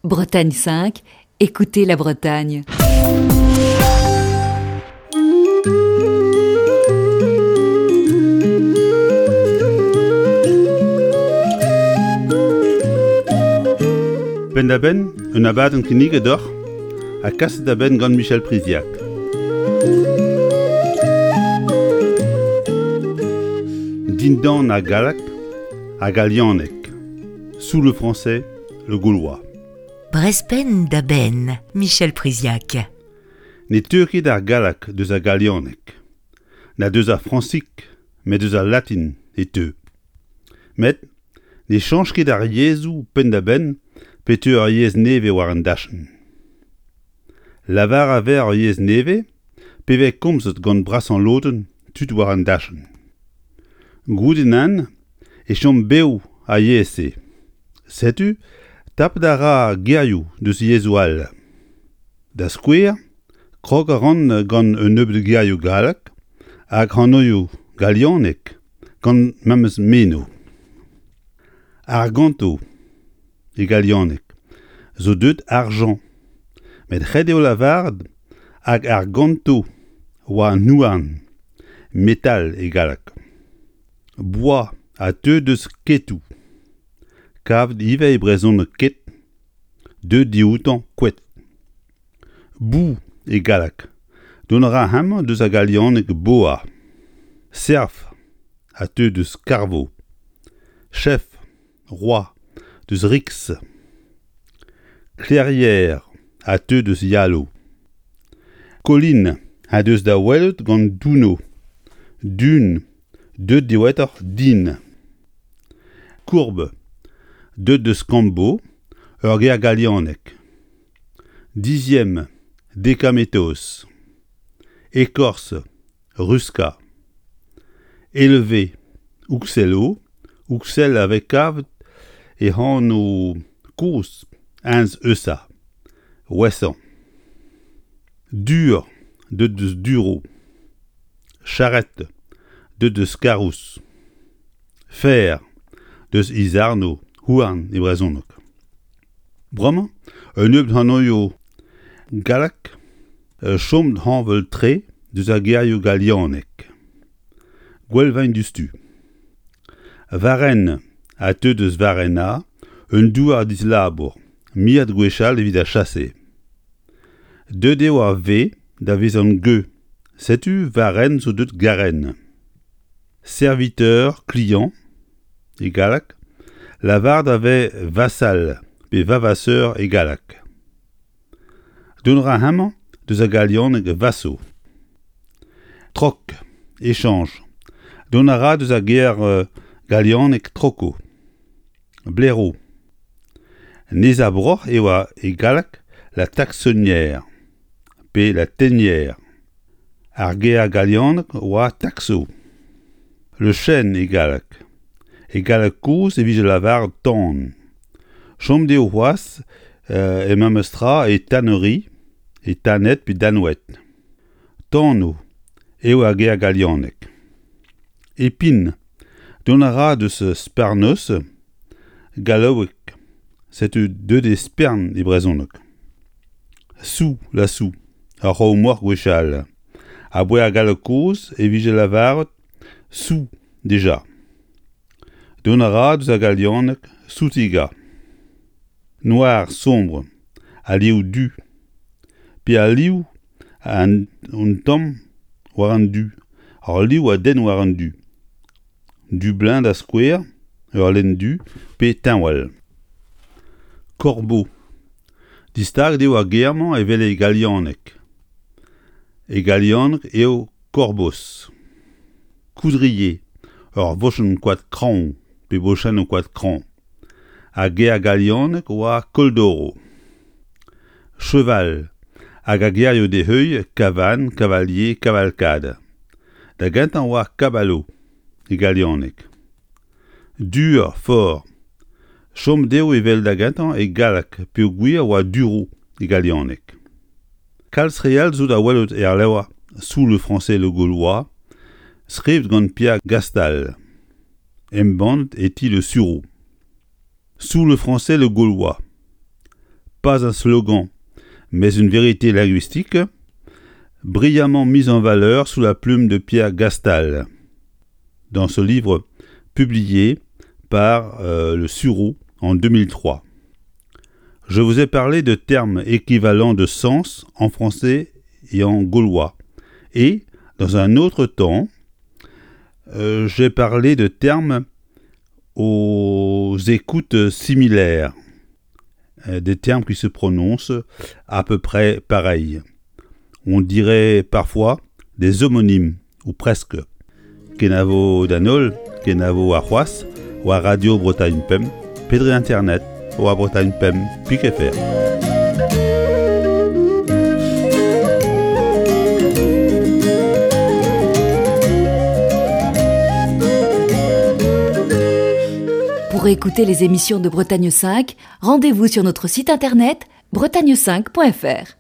Bretagne 5, écoutez la Bretagne. Penn-da-benn, un abadenn kinniget deoc'h ha kaset da benn gant Michel Priziac. Dindan ar galleg ha galianeg, sous le français, le gaulois. Brezpenn da benn, Michel Priziac. Ne teu ket ar galleg deus ar galianeg, na deus ar frañsig, met deus al latin e teu. Met ne chañch ket ar yezhoù penn-da-benn pe teu ur yezh nevez war an dachenn. Lavar a vez ur yezh nevez pe vez komzet gant brasañ lodenn tud war an dachenn. Goude nann e chom bev ar yezh-se. Setu tapet a ra gerioù deus yezhoù all. Da skouer, krog a ran gant un nebeud gerioù gallek hag anvioù galianek gant memes meno. Arganto e galianeg zo deuet argent met ret eo lavaret hag arganto oa an houarn, metal e galleg. Boa a teu deus ketoù. Kavet ivez e brezhoneg ket, deuet dioutañ koed. Bou e galleg, dont a ra hemañ deus ar galianeg boa. Serf a teu deus karvo. Chef, roi, deus Rix. Clairière a teu deus Yalo. Colline a deus da welout gant Duno. Dun, deuet diwezhatoc'h din. Courbe, deuet deus Cambo, ur ger galianek. Dixième, Dekametos. Écorce, Ruska. Élevé, Uxello, Uxel a vez kavet e anv kozh Heinz Eusa, Ouessant. Dur, deuet deus Duro. Charrette, deuet deus Karous. Fer, deus Izarno, houarn e brezhoneg. Bremañ, un nebeud anvioù gallek chom hañval-tre deus ar gerioù galianek. Gwell 'vaint diouzhtu. Varennes a teu deus Varenna, un douar dislabour, miret gwechall evit ar chase. Deuet eo ar V da vezañ G, setu Varennes zo deuet Garennes. Serviteur, client, e galleg, lavaret a vez vassal pe vavasseur e galleg. Dont a ra hemañ deus ar galianeg vasso. Troc, échange. Dont a ra deus ar ger galianek troco. Blaireau. Nezabroc'h e oa e galleg la taxonnière pe la tenière. Ar ger galianek oa taxo. Le chêne e galleg. E galleg kozh e vije lavaret tan. Chom dezho c'hoazh e memes tra e tannerie, e Thanet pe Danoued. Tano eo ar ger galianek. Epin, dont a ra deus Sparnos, gallaoueg, setu deuet eo spern e brezhoneg. Sou, la sou, ar c'hraou-moc'h gwechall. Aboae ar galleg kozh e vije lavaret sou dija. Dont a ra deus ar galianeg soutigañ. Noir sombre, al liv du, pe al liv an tamm war an du, al liv a denn war an du. Dublin da skouer, ur lenn du, pe teñval. Corbeau. Distaget eo ar ger-mañ evel e galianeg. E galianeg eo korbos. Coudrier, ur vochenn koad kraoñ pe bochennoù koad kraoñ. Ar ger galianek oa Koldoro. Cheval hag ar gerioù d'e heuilh Cavan, Cavalier, Cavalcade. Da gentañ oa Caballo e galianeg. Dur, fort. Chom dezho evel da gentañ e galleg peogwir oa duro e galianeg. Kalz re all zo da welout er levr Sous le français le Gaulois, skrivet gant Pierre Gastal, embannet e ti Le Sureau. Sous le français le Gaulois. Pas un slogan, mais une vérité linguistique, brillamment mise en valeur sous la plume de Pierre Gastal, dans ce livre publié par euh, le Sureau en 2003. Je vous ai parlé de termes équivalents de sens en français et en gaulois. Et, dans un autre temps, euh, j'ai parlé de termes aux écoutes similaires, euh, des termes qui se prononcent à peu près pareil. On dirait parfois des homonymes, ou presque. Kenavo d'an holl, kenavo arc'hoazh, war Radio Bretagne Pemp, pe dre internet, war Bretagne Pemp pik fr. Pour écouter les émissions de Bretagne 5, rendez-vous sur notre site internet bretagne5.fr.